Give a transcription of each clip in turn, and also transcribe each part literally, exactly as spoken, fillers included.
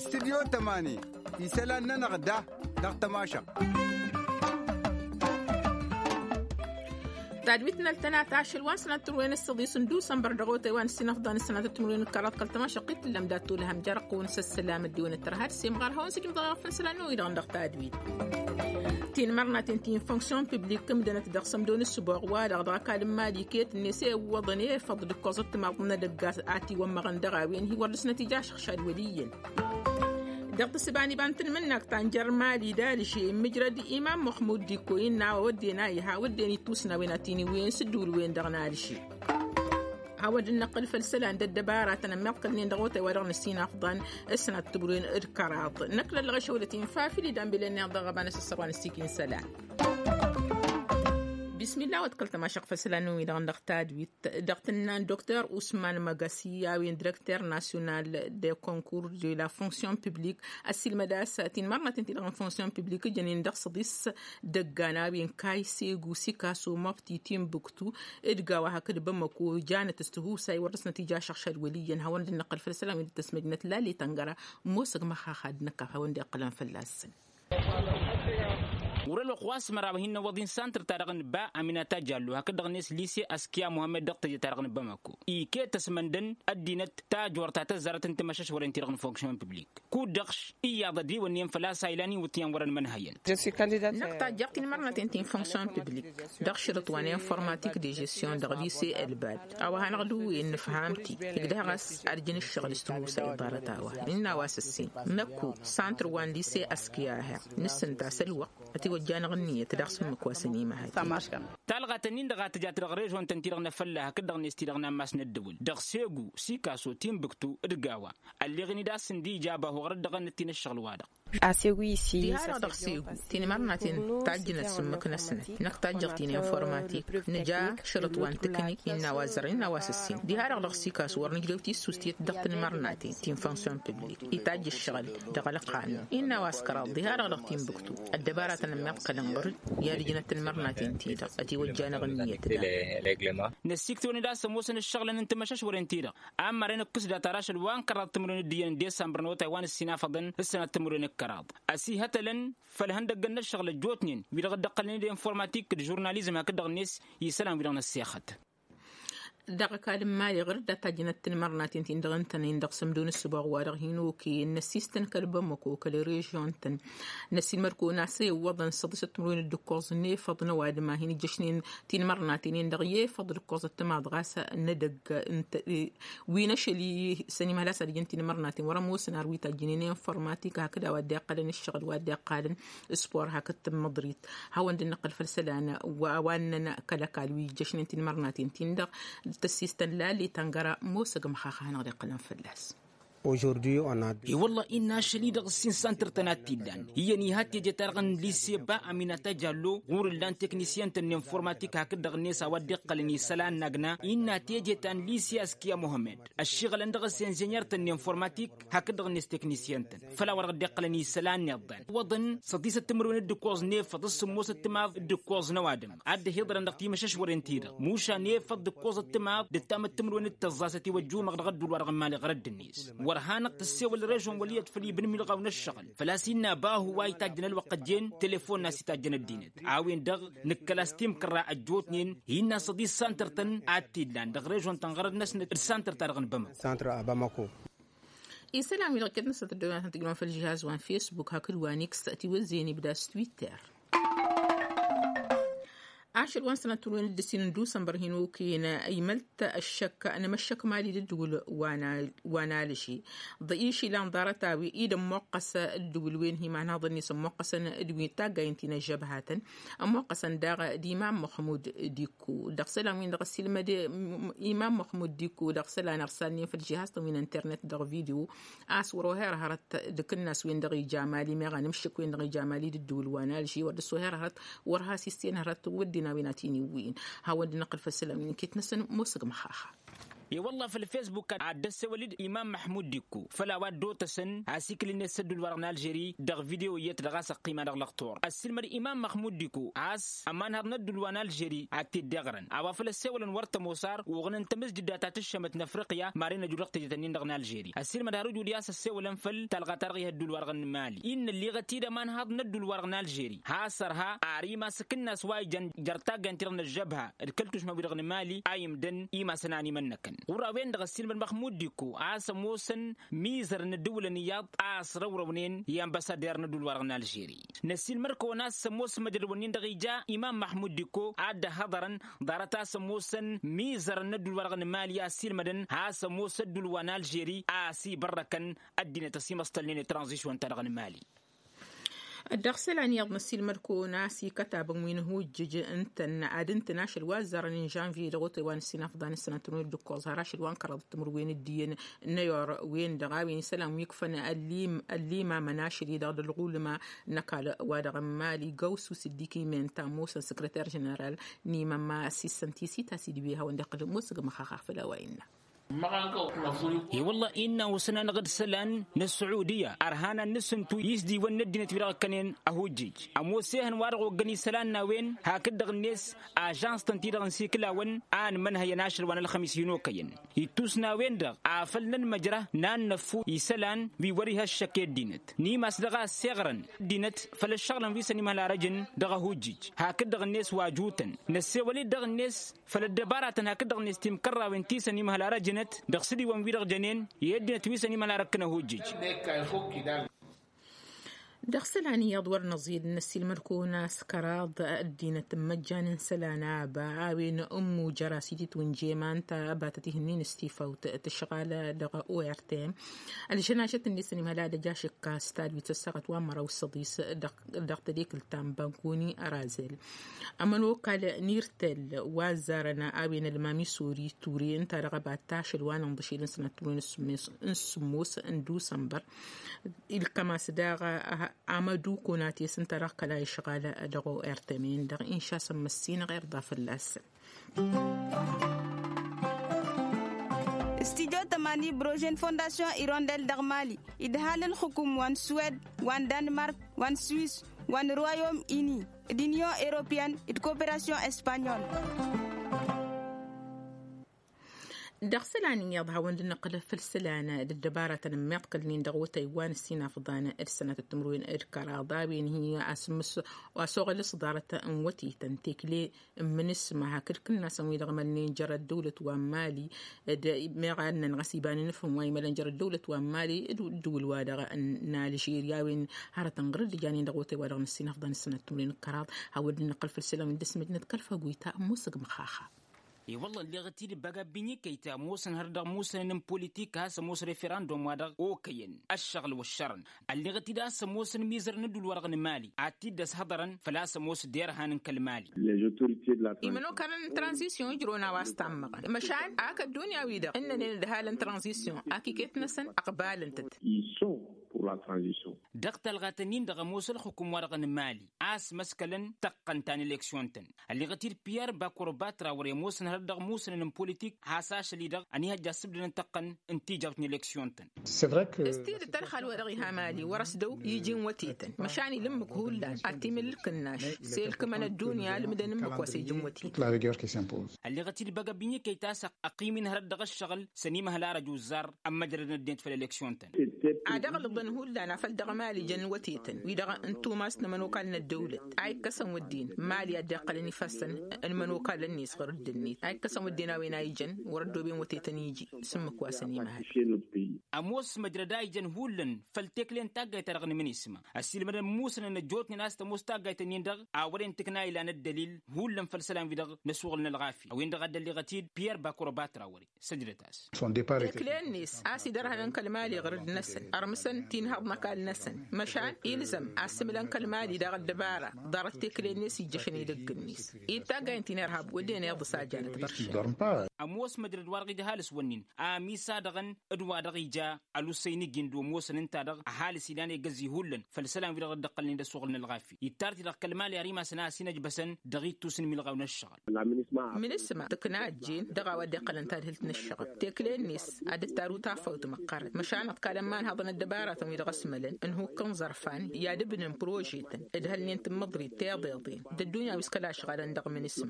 Studyo tămani isălan-nănăɣ da dăɣ-tămašăɣt. Tadwit n-ăltănat ašăl wa n-sănat timǝrwen s-săḍis n-dusănbăr dăɣ-otay wa n-ǝssin afḍan s-sănat timǝrwen n-kăraḍ kăl-tămašăɣt i-tǝllăm dat-tulhăm jer-ăqqǝwăn s-ăssălam ăddiwăn ăttăr had-semɣar hawăn-sǝjǝm dăɣ-iɣăfăn isălan n-oy-dăɣ dăɣ-tadwit. Tinmărnaten ti n-fonksyon piblik ǝmdănăt dăɣ-sămdo n-ǝssǝboɣ-wa-dăɣ dăɣ-ăkall n-imali iket-net i-iwwăḍăn i-ifăḍ d-ǝkkoẓăt timaḍ n-edăgg a tiwămmăɣăn dăɣ-a-wen hi-wăr dăr-snăt ija ašăɣšad wăl' iyyăn. Dăɣ-tǝssǝba n-iba n-tanmǝnnakt ta n-jer-imali d-alǝše immǝjrăd imam muḥmud dikko innă a-wa wădden a iha wădden ittusna a-wen a tiniwǝyăn s-ǝddǝwǝl-wen-dăɣ n-alǝše. Hawăn-dd-năqqǝl făll-isălan d-ăddăbaratăn ămmiḍkălnen dăɣ-otay wa dăɣ-năsinafḍan s-sănat timǝrwen d-kăraḍ. Năkk lăllăɣ išăwlăt-in fafil idan bilen-neḍ dăɣ-ăbanăs ăssărwan s-ikin isălan. Bismillah wa d-kăl-tămašăɣt făll-isălan n-wi-dăɣ dăɣ-tadwit. Dăɣ-tǝnna n-doktor usman măgăsi a-wen direkter nasyonal de concours de la fonksyon piblik ăssiilmăd a-s tinmărnaten ti-dăɣ n-fonksyon piblik ǝjănen dăɣ-săḍis dăggan a-wen kayse gusikaso măbti timbuktu d-gawa hakd bamăko janăt s-tihusay wăr dăr-snăt ija ašăɣšad wăl' iyyăn hawăn-dd-năqqăl făll-isălan wi dd-tăsmăjnăt lale tăngăra. Mosăg măxxax ad-năkkaf hawăn-dd-iqqălăn fălla-săn. Wăr-ălwăqq wa s-măraw hin-năwwăḍ-in santăr-ta-dăɣ n-ba aminata jallo hakd-dăɣ-net lise askiya muhammed dăɣ-teje-ta-dăɣ n-bamăko iket ăsmăndăn ăddinăt tajort ta tăzzarăt n-timăšăšwăren-ti-dăɣ n-fonksyon piblik. Kud-dăɣ iyyăḍ ădriwănnin făl-a-s a ilan iwǝtyan wăr-ănmănhăyăn. Năkk tajjăɣ tinmărnaten ti n-fonksyon piblik dăɣ-šărǝt wa n-informatik de žesyon dăɣ-lise ălbad a-wa hanăɣ-dd-uwǝyăn nǝfham-t-dd ǝgdăh ɣas ad-jăn ǝššăɣǝl s-tihusay ḍarăt-a-wa innă a-wa s-ǝssin năkku santr wa n-lise askiya a-heɣ nǝssǝnta s-ălwăqq ătiwăjja-năɣ ǝnniyăt daɣ s-ǝmmǝk wa s-ănimăhăy. Talɣa-tăn-in-dăɣ a tǝjat dăɣ-režon-tăn-ti-dăɣ n-afălla hakd-dăɣ-net ti-dăɣ n-ammas n-ăddăwǝl dăɣ-segu sikaso timbuktu d-gawa. Ălleɣ-in-dd a-s ǝndi ija abahu ɣărăt dăɣ-ănnăt-in ǝššăɣǝl-wa-dăɣ. Diha-dăɣ dăɣ-segu tinmărnaten tajjǝnăt s-ǝmmǝk-năsnăt năkk tajjăɣ-t-in informatik nǝja šărǝt wa n-tǝknik innă a-wa zărăn innă a-wa s-ǝssin diha-dăɣ dăɣ-sikas wăr nǝjrew tissust i-dd dăɣ-tinmărnaten ti n-fonksyon piblik itajj ǝššăɣǝl dăɣ-ălqanun innă a-wa s-kăraḍ diha-dăɣ dăɣ-tinbuktu ăddăbaratăn ămmiḍkălăn ɣur-dd i-ad-ǝjnăt tinmărnaten-ti-dăɣ ătiwăjja-năɣ ǝnniyăt. Năssiiktăwăn-dd a-s ămoosăn ǝššăɣǝlăn n-timăšăšwăren-ti-dăɣ a ămmărăn ǝkkǝs data rašăl wa n-kăraḍ timǝrwen d-iyyăn n-disămbăr n-otay wa n-ǝssin afăḍăn s-sănat timǝrwen d-kăraḍ ăsihătălăn făll-ihăndăggăn n-ǝššăɣǝl ăjjootnen wi-dăɣ dd-ǝqqălăn-dd informatik d-žurnalizm hakd-dăɣ-net isălan wi-dăɣ năssexăt. Dăɣ-ăkall n-imali ɣur-dd a tajjănăt tinmărnaten-tin-dăɣ ǝntănen dăɣ-sămdo n-ǝssǝboɣ wa-dăɣ hin-okăyăn năssistăn kăl-bamăko kăl-režion-tăn năssiilmăd-kăwăn a-s iwwăḍăn săḍisăt timǝrwen d-ǝkkoẓ n-efăḍ n-ăwadǝm a hin-ǝjjăšnen tinmărnaten-in-dăɣ i-efăḍ d-ǝkkoẓăt timaḍ ɣas n-edăgg wi n-ašăl-i s-ănimhăl a-s ad-ǝjǝn tinmărnaten wăr-ămoosăn ar wi tajjǝnen informatik hakd a-wa dd-iqqălăn ǝššăɣǝl wa dd-iqqalăn spor hakd tǝmmăḍrit. Hawăn-dd-năqqăl făll-isălan wa ăwannăn kăl-ăkall wi ǝjjăšnen tinmărnaten-tin-dăɣ tăssistăn lale tăngăra mosăg măxax a hanăɣ-dd-iqqălăn fălla-s. I-wălla-i innă ašăl-i-dăɣ ǝssin santăr-tăn a t-illan iyyăn iha teje-ta-dăɣ n-lise ba aminata jallo ɣur-ǝllan teknisyăn-tăn n-informatik hakd-dăɣ-net a-wa dd-iqqălăn isălan n-agna innă teje ta n-lise askiya muhămmăd ăššiɣǝlăn dăɣ-s inženyer-tăn n-informatik hakd-dăɣ-net teknisyăn-tăn făll-a-wa dăɣ-dd-iqqălăn isălan n-iḍḍan iwwăḍăn săḍisăt timǝrwen d-ǝkkoẓ n-efăḍ s-sǝmmosăt timaḍ d-ǝkkoẓ n-ăwadǝm ad-dd-ăhiḍărăn dăɣ-timăšăšwăren-ti-dăɣ muša n-efăḍ d-ǝkkoẓăt timaḍ d-ǝttamăt timǝrwen d-tăẓẓasăt iwăjjumăɣ dăɣ-ădduul-wa-dăɣ n-imali ɣărădd-net. Wăr hanăɣ-tăssewăl režon wăl' iyyăḍ făll-ibn milɣaw n-ăššăɣǝl făl-a-s innă bahu wa itajjăn ălwăqq ăjjeen telefon n-a-s itajjăn ăddinăt a-wen-dăɣ nǝkkăl-as timkărra ăjjootnen innă săḍis santăr-tăn a t-illan dăɣ-režon-tăn ɣărăd-năsnăt d-santăr-ta-dăɣ n-bamăko. Isălan-wi-dăɣ iket-năsnăt ăddăwănatăn tǝjnăwăn făll-žihaz wa n-fesbuk hakd wa n-iks ătiwăzzeyăn ibda s-twitter. Ašăl wa n-sănatăr wen dd-ǝssin n-dusănbăr hin-okăyăn imălt ăššăk n-emăššăk mali d-ǝddǝwǝl wa n-alǝši ḍa išilan ḍarăt-a-wen i-dd-ămmoqqăs ǝddǝwǝl-wen hi-imanhăḍăn-net ămmoqqăsăn d-wi n-taggayăn ti n-ăžžăbhatăn ămmoqqăsăn daɣ d-imam muḥmud dikko dăɣ-isălan-win-dăɣ ăssiilmăd imam muḥmud dikko dăɣ-isălan ărsalnen făll-žihaz-tăn wi n-internet dăɣ-video a-s wăr-oher hărăt d-akǝnnas-wen-dăɣ ija mali meɣ anǝmšǝk-wen-dăɣ ija mali d-ǝddǝwǝl wa n-alži wăr dăr-s oher hărăt wăr has-issǝyăn hărăt wădden a-wen a t-in-iwwǝyăn. Hawăn-dd-năqqǝl făll-isălan-win iket-năsăn mosăg măxaxa. I-wălla făll-fesbuk ad-dd-ăssewăl-dd imam măḥmud dikko făll-a-wa dd-otăsăn asikǝl-net s-ădduul-wa-dăɣ n-alžeri dăɣ-video iyyăt dăɣ-a-s ăqqima dăɣ-lăxtur ăssiilmăd imam măxmud dikko a-s ămanhăḍ n-ădduul wa n-alžeri ad-t-dd-iɣrăn a-wa făl ăssewălăn wăr tămoos ar uɣǝnăn tamǝzjǝdda ta tǝššămăt n-afriqya maren ăju dăɣ-teje-ten-in-dăɣ n-alžeri ăssiilmăd har ǝjud i-a-s ăssewălăn făll-talɣa-ta-dăɣ i-hădduul-wa-dăɣ n-mali innă ălliɣăt-dd ămanhăḍ n-ădduul-wa-dăɣ n-alžeri has-ărha ar imas ǝkǝnnas wa ijăn jer-taggayăn-ti-dăɣ n-ăžžăbha d-kăl-tušma-wi-dăɣ n-mali a imdăn imasăn a n-imănnăkăn ɣur-a-wen-dăɣ ăssiilmăd măxmud dikko a-s ămoosăn mizărăn ǝddǝwǝlăn iyyăḍ a ăsrăwrăwnen i-ambăsader n-ădduul-wa-dăɣ n-alžeri. Năssiilmăd-kăwăn a-s ămoos măjrăd-wǝnnin-dăɣ ija imam măxmud dikko a dd-ăhhăḍărăn ḍarăt a-s ămoosăn mizărăn n-ădduul-wa-dăɣ n-mali a ăssiilmădăn has-ămoos ădduul wa n-alžeri a ăsibărrăkăn ăddinăt ăsimăṣtălnen i-tranzisyon-ta-dăɣ n-mali. Dăɣ-isălan iyyăḍ năssiilmăd-kăwăn a-s ikătabăn wi n-ihujjǝj ǝntăn ad-ǝntăn ašăl wa ăzzarăn n-žănvye dăɣ-otay wa n-ǝssin afḍan ǝssănăt n-wăr dd-ǝkkoẓ har ašăl wa n-kăraḍăt timǝrwen d-iyyăn n-ayor-wen-dăɣ a-wen isălan wi ǝkfăn ăllimamăn ašăl-i-dăɣ d-ălɣulma n-ăkall-wa-dăɣ n-mali gawsu s-dd-ikimen ta ămoosăn săkrăter ženeral n-imamma s-issăn tisita s-idǝw i-hawăn-dd-iqqǝlăn musǝgmăx axar făll-a-wa innă. I-wălla innă osăn-anăɣ-dd isălan n-ăssuudiyya ărhan ad-nǝsǝntu i-s d-iwăn n-ăddinăt wi-dăɣ ǝkkănen ăhujjij ămoos ehăn wa-dăɣ oggăn isălan n-a-wen hakd-dăɣ-net ažans-tăn-ti-dăɣ n-sikǝlawăn a ănmănhăyăn ašăl wa n-ălxămis hin-okăyăn ittus n-a-wen-dăɣ afăl nănmăjrăh n-ad-năffu isălan wi wăr-iha ăššăk i-ăddinăt n-imas dăɣ-a ăssiɣrăn ăddinăt făll-ăššăɣǝlăn wi s-ănimhăl arăjăn dăɣ-ăhujjij hakd-dăɣ-net wa jutăn năssewăl-dd dăɣ-net făll-ăddăbaratăn hakd-dăɣ-net timkărrawen ti s-ănimhăl arăjnăt dăɣ-sǝdiwăn-wi-dăɣ jănen i-ăddinăt wi s-ănimhăl arăkkăn ăhujjij. Dăɣ-isălan iyyăḍ wăr năẓiyăd năssiilmăd-kăwăn a-s kăraḍ ăddinăt n-imăjjan n-isălan aba a-wen ǝmmujăr a-s ititwǝnje ma ǝnta ăbatăt ihǝnnin s-tifawt tǝšɣal dăɣ-ortm ălžănašăt-net ănimhăl ad-ăj ašǝkka stad wi tăssăɣăt wa n-măraw s-ăḍis dăɣ-tădekǝlt ta n-bankuni ărazel. Ămănokal n-irtel wa ăzzarăn a-wen ălmam isori ture ǝnta dăɣ-ăbat ašăl wa n-inḍǝšel n-sănăt timǝrwen n-sǝmmos n-dusănbăr ilkăm-as daɣ amădu konates ǝnta dăɣ-kăla išɣal dăɣ-ortm-en-dăɣ inša s-ămmăssinăɣ irḍa fălla-săn. Studio tămani brožen fondasyon irondel dăɣ-mali idhal ǝlxǝkum wa n-suwed wa n-danmark wa n-swis wa n-royom ini d-inyon europeyăn d-koperasyon espanyol. Dăɣ-isălan iyyăḍ hawăn-dd-nǝqqǝl făll-isălan d-ăddăbaratăn ămmiḍkălnen dăɣ-otay wa n-ǝssin afḍan d-sănatăt timǝrwen d-kăraḍ a-wen hi-asǝmmǝs wa s-oɣăl s-ḍarăt n-wătetăn tekle n-imǝnǝsma hakd kǝnnasăn wi-dăɣ mălnen jer-ăddăwlăt wa n-mali d-meɣ ad-nănɣăs iba n-inǝfhǝm wa imălăn jer-ăddăwlăt wa n-mali d-ǝddǝwǝl-wa-dăɣ n-alžerya a-wen hărătăn ɣur-dd-ijanen dăɣ-otay-wa-dăɣ n-ǝssin afḍan d-sănatăt timǝrwen d-kăraḍ. Hawăn-dd-nǝqqǝl făll-isălan wi n-dăɣ-s măjnăt kăl-făguyta n-musǝgmăx axa. I-wălla ălleɣăt-dd băga ăbbinyǝkăy ta ămoosăn har dăɣ-musănăn n-politik a-s ămoos referandum-wa-dăɣ okăyăn ăššăɣǝl wăššărăn. Ălleɣăt-dd a-s ămoosăn mizărăn ădduul-wa-dăɣ n-mali ad-t-dd-ăshăḍărăn făl-a-s ămoos derhan n-kăl-mali. Imănokalăn n-tranzisyon ǝjrăwăn a-wa s-tammăɣăn măšan ak ăddunya-wi-dăɣ ǝnnănen ǝdhalăn tranzisyon ak iket-năsăn ăqbalăn-tăt. Dăɣ-talɣat-ǝnnin-dăɣ ămoos ǝlxǝkum-wa-dăɣ n-mali a-s măskălăn tăqqăn ta n-eleksyon-tăn. Ălleɣăt-dd piyer bakoroba trawăre ămoosăn hărăt dăɣ-musănăn n-politik has-ašăl-i-dăɣ ănihăjja ăssǝbdădăn tăqqăn n-tijawt n-eleksyon-tăn. S-tidǝt ălxal-wa-dăɣ iha mali wăr-ăsdăw iji n-wătetăn măšan ila ǝmmǝk hullan ad-t-imǝl ǝlkǝnnaš s-elkǝmăn ăddunya ǝlmǝdăn ǝmmǝk wa s-iji n-wătetăn. Ălleɣăt-dd băgg ăbbinyǝkăy ta s-ăqqim-in hărăt dăɣ-ǝššăɣǝl s-ănimăhăl arăj uzzar ămmăjrădăn ăddinăt făll-eleksyon-tăn. Ad-ăɣlǝḍăn hullan afăl dăɣ-mali jăn wătetăn wi-dăɣ n-tumas n-ămănokal n-ăddăwlăt a ikkăsăn wădden mali ad-dd-iqqălăn ifassăn n-imănokalăn-net ɣur-dd-net a ikkăsăn wădden a-wen a ijăn wăr-ăddooben wătetăn iji s-ǝmmǝk wa s-ănimăhăl. Ămoos măjrăd a ijăn hullan făll-tekle n-taggayt-ta-dăɣ n-imǝnisma ăssiilmădăn musănăn ăjjootnen a-s tămoos taggayt-ǝnnin-dăɣ a wăren tǝkna ilan ăddălil hullan făll-isălan-wi-dăɣ n-asuɣǝl n-ălɣafya a-wen-dăɣ a dd-ălleɣăt-dd piyer bakoroba trawăre. Săjdăt-as. Tekle-net a-s idărhănăn kăl-mali ɣǝrǝd-năsăn ărmǝsăn. Tinhăḍ n-ăkall-năsăn măšan ilzăm asǝmǝlăn kăl-mali dăɣ-ăddăbara ḍarăt tekle-net ijjăšăn edăgg-net. Ittaggayen tinărhab wădden iḍǝs a janăt băršăn. Ămoos măjrăd wa dăɣ-ija ăhalǝs wănnin amisa-dăɣ n-dd-wa-dăɣ ija ălussăy n-ijin d-omosăn ǝnta-dăɣ ăhalǝs ilan egăzzi hullan făll-isălan wi-dăɣ dd-ăqqălnen d-ăssuɣǝl n-ălɣafyăt ittar-t-i-dăɣ kăl-mali ar imasăn a ăsinăjbăsăn dăɣ-ittus n-imilɣaw n-ăššăɣǝl. Mǝnǝsma tǝkna ăjjeen dăɣ-a-wa dd-iqqălăn tadhǝlt n-ǝššăɣǝl tekle-net ad-dd-taru tafăwt măqqărăn măšan ăḍkalăn imanhăḍăn ăddăbaratăn wi-dăɣ ăsmălăn ǝnhukk n-iẓărfan i-ad-ǝbnǝn prožetăn d-hălnen tǝmmǝḍrit tiḍeḍen d-ăddunya wi s-kăla ăšɣalăn dăɣ-mǝnǝsma.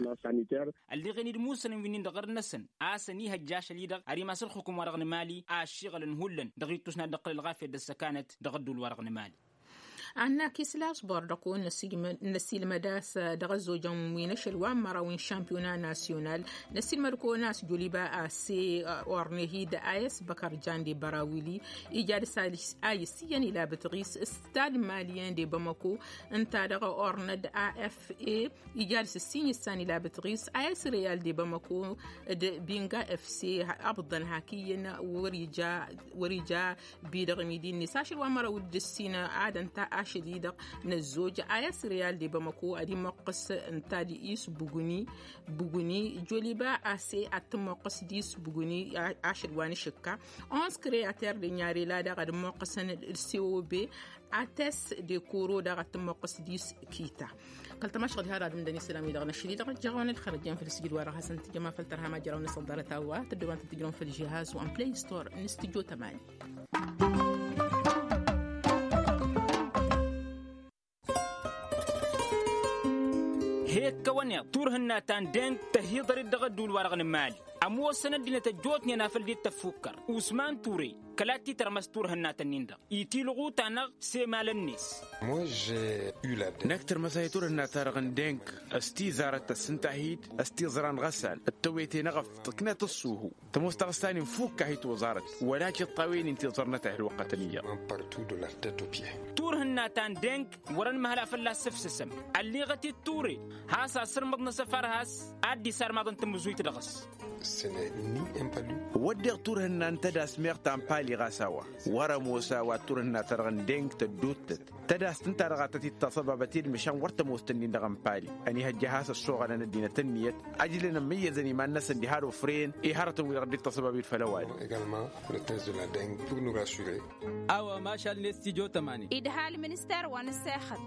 Ălliɣen-dd musănăn wi-nin-dăɣ ărnăsăn a-s ănihăjja ašăl-i-dăɣ ar imas ălxukǝm-wa-dăɣ n-emali ašiɣălăn hullan dăɣ-ittus n-ad-dd-ăqqǝl ălɣafyăt d-ăssăkanăt dăɣ-ădduul-wa-dăɣ n-emali. Ad-nakis lasbor dăɣ-kăwăn năssiilmăd a-s dăɣ-ăzzojăn wi n-ašăl wa n-măraw n-šampiyona nasyonal. Năssiilmăd kăwăn a-s joliba a-s orne hi-dd a-s băkăr jande bărawili ija dăɣ-s a issiyăn ilabăt ɣis stad maliyen de bamako ǝnta dăɣ-ornăd a f a ija dăɣ-s ǝssin issan ilabăt ɣis a s real de bamako d-binga f c. Abḍăn hak iyyăn wăr ija wăr ija bidăɣ imidi-net ašăl wa n-măraw d-ǝssin ad-ănta ašăl-i-dăɣ n-ăzzoj a s real de bamako ad-imăqqǝs ǝnta d-isbugǝni bugǝni joliba a s ad-tǝmmoqqǝs d-isbugǝni. Ašăl wa n-ašǝkka onze creater de nyarela daɣ ad-ǝmmoqqǝsăn d-cob ates de koro daɣ ad-tǝmmoqqǝs d-iskita. Kăl-tamašɣăl har ad-ǝmdăn isălan-wi-dăɣ n-ašăl-i-dăɣ ăjjăɣ-awăn ălxărăt jen făll-sǝjǝd-wa-dăɣ hasăn-tǝjjăm afăl tărha ma jăraw-năsăn ḍarăt a-wa tăddoobăn tǝjrăwăn făll-žihaz wa n-play store n-studio tămani. He-ăkkăwăn iḍ turhǝnna ta n-deng tăhiḍăr-dd dăɣ-ădduul-wa-dăɣ n-mali. Ămoosăn ăddinăt ăjjootnen afăl dd-tăffukkăr usman ture kăla t-titărmăs turhǝnna-tăn-in-dăɣ itilɣu-ta-năɣ s-emalăn-net. Năkk tărmăs a hi-turhǝnna-ta-dăɣ n-deng s-tizarăt tăssǝnta hi-dd s-tiẓra n-iɣăssan d-tewete n-eɣăf tǝknăt ǝṣṣuhu tămoos taɣǝsta-nin fukk a hi-toẓarăt wăla tiṭṭawen-in tiẓărnăt a hi-ălwăqqătăn iyyăḍ. Turhǝnna ta n-deng wăr-ănmăhăla fălla-s sǝfsǝsăm ălliɣăt-dd ture has-asǝrmǝḍ n-asăfar has-ad-dd-isarmaḍăn tamǝzuyt dăɣ-s. Wădden turhǝnna n-tădas meɣ ta n-pali ɣas a-wa wăr-ămoos a-wa d-turhǝnna-ta-dăɣ n-deng tădduuttăt tădas tǝnta dăɣ-a tăt-dd-taṣăbabăt i-dd măšan wăr tămoos-tăn-in-dăɣ n-pali. Ănihăjja has-ăssoɣălăn ăddinăt ǝnniyăt ăjlăn ămmăyyăzăn iman-năsăn diha d-ofrăyăn i-hărătăn-wi-dăɣ dd-taṣăbab-dd făll-ăwadǝm. A-wa mašal-net tijo tămani. Idha ălminister wa n-ăssexăt.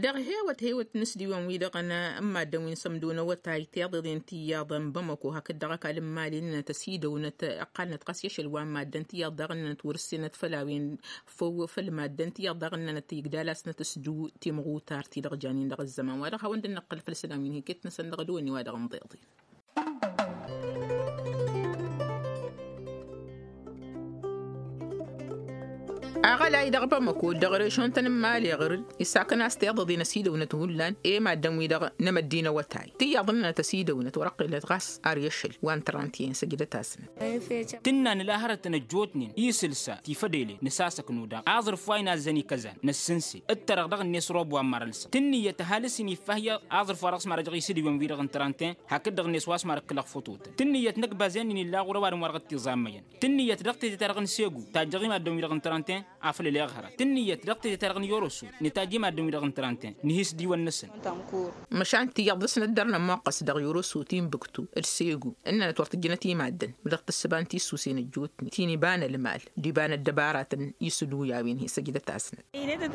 Dăɣ-hewăt hewăt n-asdiwăn-wi-dăɣ n-maddăn wi n-sămdonăwătay tiḍeḍen tiyyăḍ n-bamăko hakd dăɣ-ăkall n-mali ǝnnănăt ăsidăwnăt ăqqalnăt ɣas i-ašăl wa n-maddăn tiyyăḍ daɣ ǝnnănăt wăr-ǝssenăt făll-a-wen făw făll-maddăn tiyyăḍ daɣ ǝnnănăt igdal-asnăt s-du timɣutar-ti-dăɣ janen dăɣ-ǝzzăman wa dăɣ-hawăn-dd-năqqăl făll-isălan wi n-hiket-năsăn dăɣ-dăwănni wa dăɣ-nḍeḍen. Aɣălay dăɣ-bamăko dăɣ-režon-tăn n-mali ɣǝr-dd isakăn a-s tiḍăḍen ăsidăwnăt hullan i-maddăn-wi-dăɣ n-emăddin awătay tiyyăḍ ǝnnănăt ăsidăwnăt wăr-ăqqilăt ɣas ar i-ašăl wa n-trănt i-ǝnsăjdăt-asnăt. Tǝnna nǝla hărătăn ăjjootnen isǝlsa tifădele nǝsasăknu daɣ aẓrǝf wa inazzăn ikăzan năssǝnse d-tărăɣ dăɣ-net rob wa n-marălsăm tǝnnǝyăt ăhalǝs-in iffah iyyăḍ aẓrǝf wa dăɣ-s marăjăɣ isǝdiwăn-wi-dăɣ n-trănt-en hakd-dăɣ-net wa s-marăkkǝlăɣ fototăn tǝnnǝyăt năkk bazen-in illa ɣur-ăwadǝm wa dăɣ-t-iẓammăyăn tǝnnǝyăt dăɣ-tete-ta-dăɣ n-segu tajjăɣ i-maddǝn-wi-dăɣ n-trănt-en afăl ǝleɣ hărăt tǝnnǝyăt dăɣ-tete-ta-dăɣ n-yoroso nǝtajj i-maddǝn-wi-dăɣ n-trănt-en nǝhis d-iwăn-năsăn. Măšan tiyyăḍ dăr-s năddăr nămmoqqăs dăɣ-yoroso timbuktu d-segu ǝnnănăt wăr tǝjjǝnăt i-maddǝn mi-dăɣ tǝssǝba n-tissuse n-ăjjootnen ti n-iba n-ălmal d-iba n-ăddăbaratăn isǝluy a-wen hi-săjdăt-asnăt.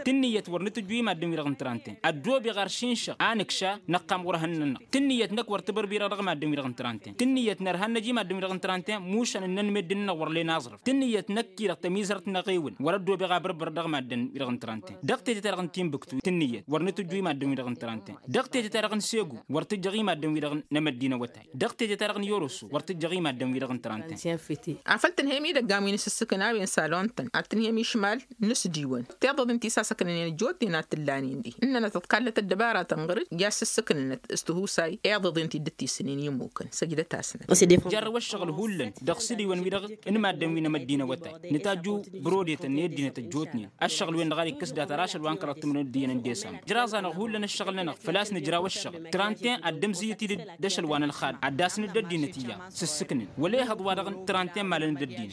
Tǝnnǝyăt wăr nǝtǝjju i-maddǝn-wi-dăɣ n-trănt-en ăddoobeɣ ar šinšăɣ anǝkša năqqam ɣur-ehăn-nănăɣ tǝnnǝyăt năkk wăr tibărbirăɣ dăɣ-maddǝn-wi-dăɣ n-trănten tǝnnǝyăt nărha n-năj i-maddǝn-wi-dăɣ n-trănten mušan ǝnnăn meddǝn-nănăɣ wăr len aẓrǝf tǝnnǝyăt năkk-i-dăɣ tămizărăt n-aɣewǝl wăr-ăddoobeɣ abărbăr dăɣ-maddǝn-wi-dăɣ n-trănten dăɣ-tete-ta-dăɣ n-tinbǝktu tǝnnǝyăt wăr nǝtǝjju i-maddǝn-wi-dăɣ n-trănten dăɣ-tete-ta-dăɣ n-segu wăr tǝjjăɣ i-maddǝn-wi-dăɣ n-emăddin awătay dăɣ-tete-ta-dăɣ n-yoroso wăr tǝjjăɣ i-maddǝn-wi-dăɣ n-trănten. Afăl tǝnhăyăm idăggan wi n-asǝssǝkǝn a-wen salon-tăn ad-tǝnhăyăm išmal n-asdiwăn tiḍăḍen ti sasăknănen ăjjootnen ad-t-ǝllanen dihen ǝnnănăt ǝḍkallăt ăddăbaratăn ɣăr-dd i-ad-sǝssǝknănăt s-tihusay iḍăḍen ti dd-tisǝnen i-ămmukăn săjdăt-asnăt. Jarrăw ăššăɣǝl hullan dăɣ-sǝdiwăn-wi-dăɣ n-maddǝn wi n-emăddin awătay nǝtajju brodetăn. ăddinăt ăjjootnen ăššăɣǝl-wen-dăɣ ad-ikkǝs data ar ašăl wa n-kăraḍ timǝrwen d-iyyăn n-desambar ǝjraẓ-anăɣ hullan ăššăɣǝl-nănăɣ făl-a-s nǝjraw ăššăɣǝl. Trantin ad-dd-ămzǝyyăt-dd d-ašăl wa n-ălxal ad-dd-asnǝd d-ăddinăt iyyăḍ s-ǝssǝknǝn wăla ehăḍ-wa-dăɣ n-trantin malăn d-ăddinăt.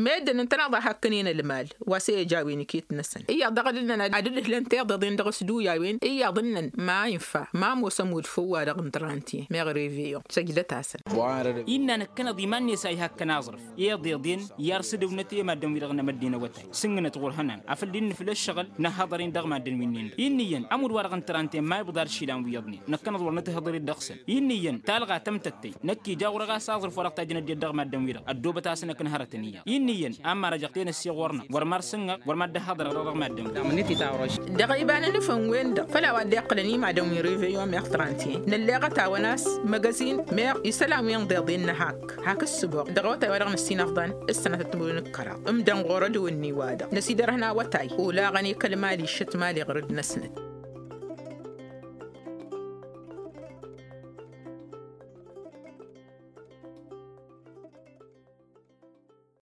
Meddǝn ǝntăneḍ a hakkănen ălmal wa s-e-ăj a-wen iket-năsăn iyyăḍ dăɣ-dd-ǝnnăn ad-dd-ǝhlăn tiḍeḍen dăɣ-s d-uyawen iyyăḍ ǝnnăn ma infa ma ămoos ămud făw-wa-dăɣ n-trantin meɣ reveyon săjdăt-asăn. Innă năkkăneḍ iman-net a ihakkăn aẓrǝf iḍeḍen i-arsǝdăwnăt i-maddǝn-wi-dăɣ n-emădden awătay s-ǝnnǝnăt ɣur-hănan afăl dd-innǝfǝl ăššăɣǝl nǝhhăḍăr-in dăɣ-maddǝn wi-nin-dăɣ. Inn'-iyyăn ămud-wa-dăɣ n-trantin ma iwǝḍa ad-išilan wi iyyăḍnen năkkăneḍ wăr nǝtǝhhăḍăr-dd dăɣ-săn. Inn'-iyyăn talɣa tămtăttăy năkk ija ɣur-ăɣas aẓrǝf wa dăɣ-tajjăn ăddinăt dăɣ-maddǝn-wi-dăɣ ăddoobăt-asăn akǝn hărătăn iyyăḍ. Inn'-iyyăn a ămmarăjăɣ tenăsse ɣur-năɣ wăr mar s-ǝnnăɣ wăr mad-dd-ăhhăḍărăɣ dăɣ-maddǝn-wi-dăɣ. Dăɣ-iba n-anǝfăn-wen-dăɣ făll-a-wa dd-iqqǝlăn imadăn wi n-reveyon meɣ trantin nălleɣăt-awăn a-s măgăzin meɣ isălan wi n-iḍeḍen n-ehak hak ǝssǝboɣ dăɣ-awătay wa dăɣ-năssinăfḍăn. S-sănatăt timǝrwen d-kăraḍ ǝmdăn ɣur-ădwǝnni-wa-dăɣ năsidărhăn awătay olaɣăn i-kăl-mali šăt mali ɣur-dd-năsnăt.